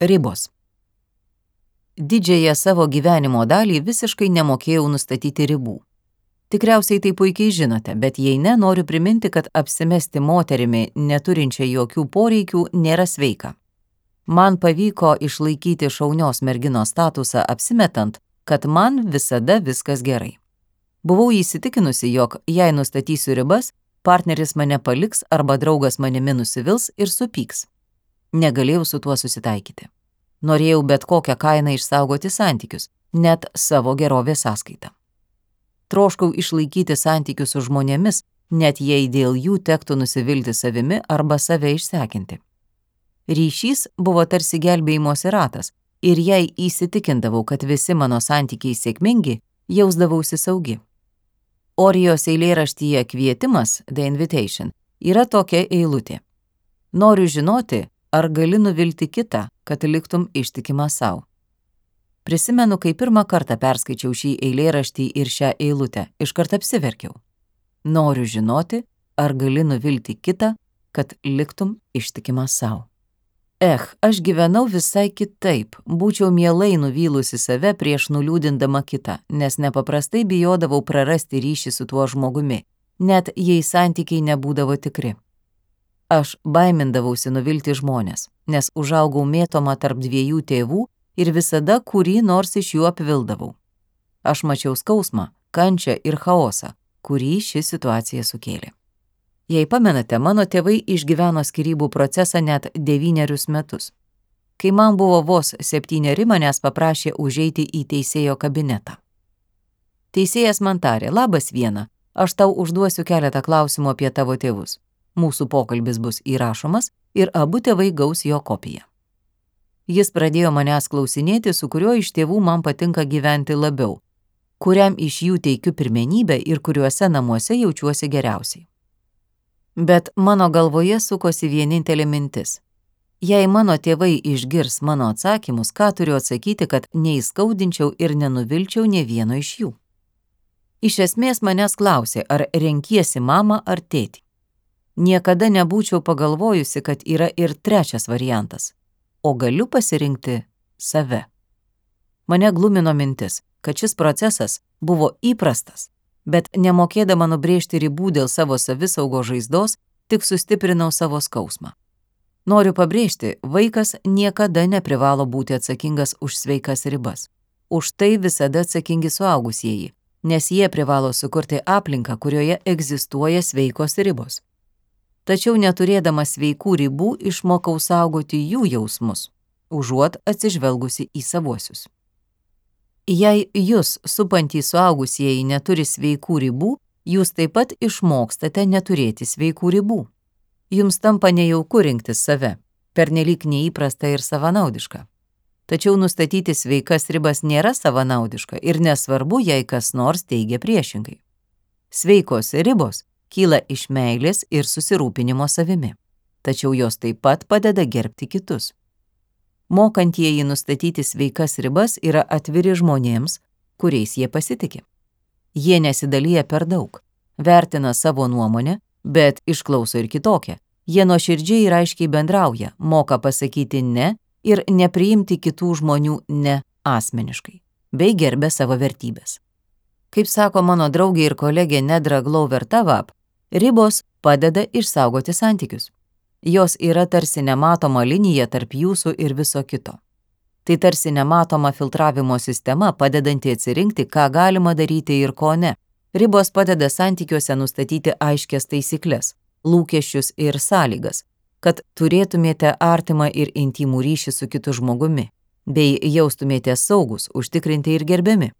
Ribos. Didžiąją savo gyvenimo dalį visiškai nemokėjau nustatyti ribų. Tikriausiai tai puikiai žinote, bet jei ne, noriu priminti, kad apsimesti moterimi, neturinčia jokių poreikių, nėra sveika. Man pavyko išlaikyti šaunios merginos statusą apsimetant, kad man visada viskas gerai. Buvau įsitikinusi, jog jei nustatysiu ribas, partneris mane paliks arba draugas manimi nusivils ir supyks. Negalėjau su tuo susitaikyti. Norėjau bet kokią kainą išsaugoti santykius, net savo gerovės sąskaitą. Troškau išlaikyti santykius su žmonėmis, net jei dėl jų tektų nusivilti savimi arba save išsekinti. Ryšys buvo tarsi gelbėjimosi ratas ir jei įsitikindavau, kad visi mano santykiai sėkmingi, jausdavausi saugi. Orijos eilėraštyje Kvietimas, The Invitation, yra tokia eilutė. Noriu žinoti, ar gali nuvilti kitą, kad liktum ištikimas sau. Prisimenu, kai pirmą kartą perskaičiau šį eilėraštį ir šią eilutę, iškart apsiverkiau. Noriu žinoti, ar gali nuvilti kitą, kad liktum ištikimas sau. Aš gyvenau visai kitaip, būčiau mielai nuvylusi save prieš nuliūdindama kitą, nes nepaprastai bijodavau prarasti ryšį su tuo žmogumi, net jei santykiai nebūdavo tikri. Aš baimindavausi nuvilti žmonės, nes užaugau mėtoma tarp dviejų tėvų ir visada kurį nors iš jų apvildavau. Aš mačiau skausmą, kančią ir chaosą, kurį ši situacija sukėlė. Jei pamenate, mano tėvai išgyveno skyrybų procesą net 9 metus. Kai man buvo vos 7, manęs paprašė užeiti į teisėjo kabinetą. Teisėjas man tarė, labas Viena, aš tau užduosiu keletą klausimų apie tavo tėvus. Mūsų pokalbis bus įrašomas ir abu tėvai gaus jo kopiją. Jis pradėjo manęs klausinėti, su kuriuo iš tėvų man patinka gyventi labiau, kuriam iš jų teikiu pirmenybę ir kuriuose namuose jaučiuosi geriausiai. Bet mano galvoje sukosi vienintelė mintis. Jei mano tėvai išgirs mano atsakymus, ką turiu atsakyti, kad neįskaudinčiau ir nenuvilčiau nė vieno iš jų? Iš esmės manęs klausė, ar renkiesi mamą ar tėtį. Niekada nebūčiau pagalvojusi, kad yra ir trečias variantas, o galiu pasirinkti save. Mane glumino mintis, kad šis procesas buvo įprastas, bet nemokėdama nubrėžti ribų dėl savo savisaugos žaizdos, tik sustiprinau savo skausmą. Noriu pabrėžti, vaikas niekada neprivalo būti atsakingas už sveikas ribas. Už tai visada atsakingi suaugusieji, nes jie privalo sukurti aplinką, kurioje egzistuoja sveikos ribos. Tačiau neturėdama sveikų ribų išmokau saugoti jų jausmus, užuot atsižvelgusi į savuosius. Jei jūs supantys suaugusieji neturi sveikų ribų, jūs taip pat išmokstate neturėti sveikų ribų. Jums tampa nejauku rinktis save, pernelyg neįprasta ir savanaudiška. Tačiau nustatyti sveikas ribas nėra savanaudiška ir nesvarbu, jei kas nors teigia priešingai. Sveikos ribos kyla iš meilės ir susirūpinimo savimi, tačiau jos taip pat padeda gerbti kitus. Mokantieji nustatyti sveikas ribas yra atviri žmonėms, kuriais jie pasitiki. Jie nesidalyja per daug, vertina savo nuomonę, bet išklauso ir kitokią. Jie nuoširdžiai ir aiškiai bendrauja, moka pasakyti ne ir nepriimti kitų žmonių ne asmeniškai, bei gerbia savo vertybės. Kaip sako mano draugė ir kolegė Nedra Glover-Tawwab, ribos padeda išsaugoti santykius. Jos yra tarsi nematoma linija tarp jūsų ir viso kito. Tai tarsi nematoma filtravimo sistema, padedanti atsirinkti, ką galima daryti ir ko ne. Ribos padeda santykiuose nustatyti aiškias taisyklės, lūkesčius ir sąlygas, kad turėtumėte artimą ir intimų ryšį su kitu žmogumi, bei jaustumėte saugus, užtikrinti ir gerbiami.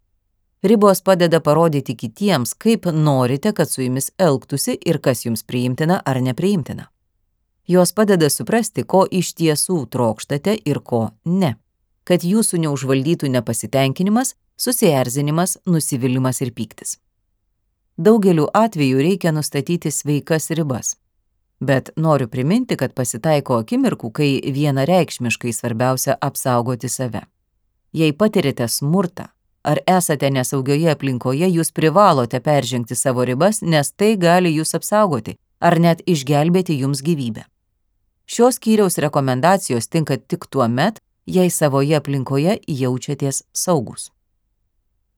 Ribos padeda parodyti kitiems, kaip norite, kad su jumis elgtųsi ir kas jums priimtina ar nepriimtina. Jos padeda suprasti, ko iš tiesų trokštate ir ko ne, kad jūsų neužvaldytų nepasitenkinimas, susierzinimas, nusivylimas ir pyktis. Daugeliu atveju reikia nustatyti sveikas ribas, bet noriu priminti, kad pasitaiko akimirkų, kai vienareikšmiškai svarbiausia apsaugoti save. Jei patirite smurtą ar esate nesaugioje aplinkoje, jūs privalote peržengti savo ribas, nes tai gali jūs apsaugoti ar net išgelbėti jums gyvybę. Šios skyriaus rekomendacijos tinka tik tuo met, jei savoje aplinkoje jaučiatės saugūs.